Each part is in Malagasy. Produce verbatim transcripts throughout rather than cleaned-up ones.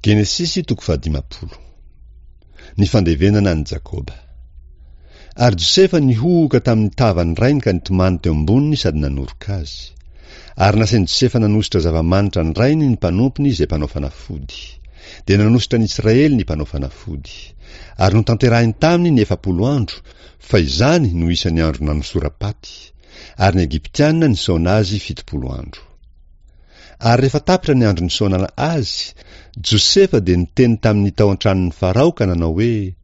Genesisy toko fahadimampolo. Ny fandevenana an'i Jakoba. Ary Josefa nihohoka tamin'ny tavan'ny rainy ka nitomany teo amboniny sady nanoroka azy. Ary nasain'i Josefa nanosotra zava-manitra ny rainy ny mpanompony izay mpanao fanafody. Dia nanosotra an'i Israely ny mpanao fanafody. Ary notanterahiny taminy ny efapolo andro, fa izany no isan'ny andro nanosoram-paty. Ary ny Egyptiana nisaona azy fitopolo andro. Ary rehefa tapitra ny andro nisaonana azy, Josefa dia niteny tamin'ny tao an-tranon'ny Farao ka nanao hoe,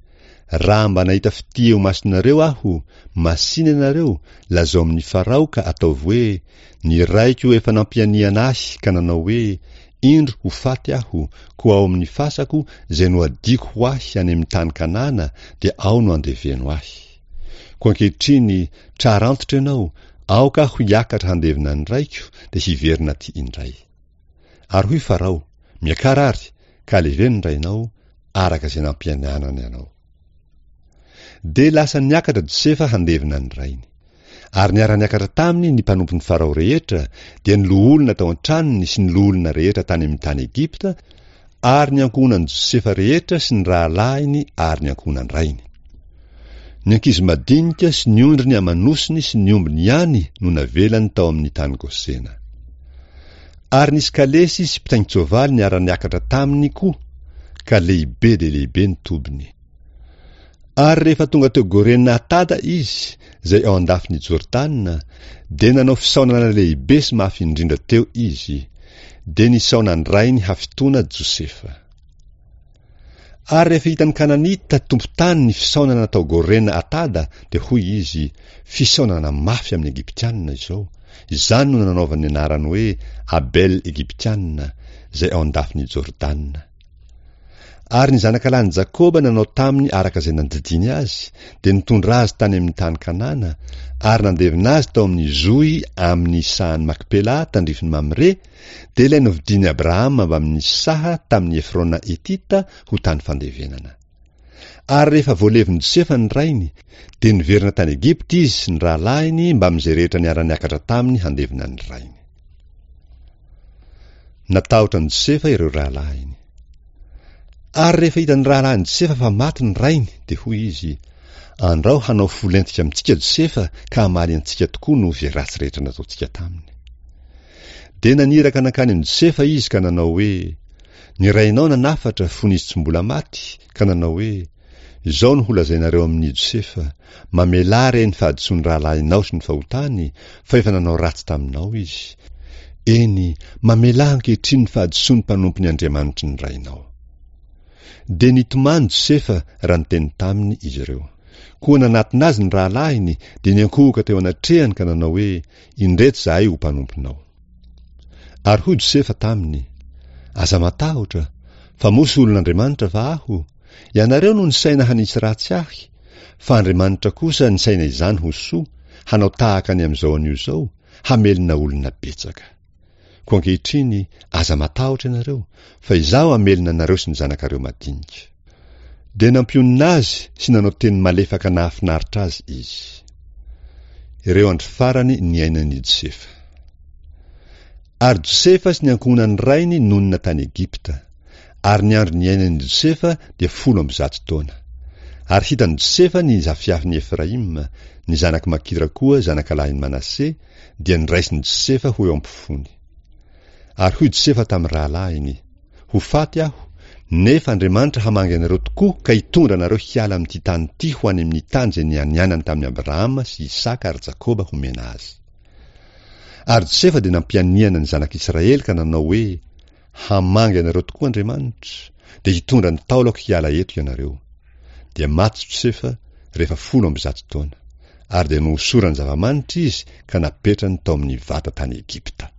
Raha mba nahita fitia eo imasonareo aho, masìna ianareo, lazao amin'i Farao ka ataovy hoe, Ny raiko efa nampianiana ahy ka nanao hoe, Indro ho faty aho, koa ao amin'ny fasako, izay nohadiako ho ahy any amin'ny tany Kanana, dia ao no andeveno ahy. Koa ankehitriny, trara antitra ianao, aoka aho hiakatra handevina ny raiko, dia hiverina aty indray. Ary hoy Farao, Miakara àry, ka aleveno ny rainao, araka izay nampianianany anao. Dia lasa niakatra Josefa handevina ny rainy. Ary niara-niakatra taminy ny mpanompon'i Farao rehetra, dia ny loholona tao an-tranony sy ny loholona rehetra tany amin'ny tany Egypta, ary ny ankohonan'i Josefa rehetra sy ny rahalahiny ary ny ankohonan-drainy. Ny ankizy madinika sy ny ondriny aman'osiny sy ny ombiny ihany no navelany tao amin'ny tany Gosena. Ary nisy kalesy sy mpitaingin-tsoavaly niara-niakatra taminy koa, ka lehibe dia lehibe ny tobiny. Ary rehefa tonga teo Gorena Atada izy, izay ao an-dafin'i Jordana, dia nanao fisaonana lehibe sy mafy indrindra teo izy. Dia nisaona an-drainy hafitoana Josefa. Ary rehefa hitan'ny Kananita tompon-tany ny fisaonana tao Gorena Atada, dia hoy izy, Fisaonana mafy amin'ny Egyptiana izao. Izany no nanaovany ny anarany hoe Abel Egyptiana, izay ao an-dafin'i Jordana. Ary ny zanakalahin'i Jakoba nanao taminy araka izay nandidiany azy, dia nitondra azy tany amin'ny tany Kanana, ary nandevina azy tao amin'ny zohy amin'ny sahan'i Makpela tandrifin'i Mamre, dia ilay novidian'i Abrahama mbamin'ny saha tamin'i Efrona Hetita ho tany fandevenana. Ary rehefa voalevin'i Josefa ny rainy, dia niverina tany Egypta izy sy ny rahalahiny mbamin'izay rehetra niara-niakatra taminy handevina ny rainy. Natahotra an'i Josefa ireo rahalahiny. Ary rehefa hitan'ny rahalahin'i Josefa fa maty ny rainy, dia hoy izy, Andrao hanao fo lentika amintsika Josefa ka hamaly antsika tokoa noho izay ratsy rehetra nataontsika taminy. Dia naniraka nankany amin'i Josefa izy ka nanao hoe, Ny rainao nanafatra fony izy tsy mbola maty, ka nanao hoe, Izao no holazainareo amin'i Josefa, Mamelà re ny fahadisoan'ny rahalahinao sy ny fahotany, fa efa nanao ratsy taminao izy. Eny, mamelà ankehitriny ny fahadisoan'ny mpanompon'ny Andriamanitry ny rainao. Dia nitomany Josefa raha niteny taminy izy ireo. Koa nanatona azy ny rahalahiny, dia niankohoka teo anatrehany ka nanao hoe, Indreto izahay ho mpanomponao. Ary hoy Josefa taminy, Aza matahotra, fa moa solon'Andriamanitra va aho? Ianareo no nisaina hanisy ratsy ahy, fa Andriamanitra kosa nisaina izany ho soa, hanao tahaka ny amin'izao anio izao, hamelona olona betsaka. Koa ankehitriny, aza matahotra ianareo, fa izaho hamelona anareo sy ny zanakareo madinika. Dia nampionona azy sy nanao teny malefaka nahafinaritra azy izy. Ireo andro farany niainan'i Josefa. Ary Josefa sy ny ankohonan'ny rainy nonina tany Egypta. Ary ny andro niainan'i Josefa dia folo amby zato taona. Ary hitan'i Josefa ny zafiafin'i Efraima, ny zanak'i Makira koa zanakalahin'i Manase, dia noraisin'i Josefa ho eo am-pofony. Ary hoy Josefa tamin'ny rahalahiny, Ho faty aho, nefa Andriamanitra hamangy anareo tokoa ka hitondra anareo hiala amin'ity tany ity ho any amin'ny tany izay nianianany tamin'i Abrahama sy Isaka ary Jakoba homena azy. Ary Josefa dia nampianiana ny zanak'Israely ka nanao hoe, Hamangy anareo tokoa Andriamanitra, dia hitondra ny taolako hiala eto ianareo. Dia maty Josefa rehefa folo amby zato taona, ary dia nohosorany zava-manitra izy ka napetrany tao amin'ny vata tany Egypta.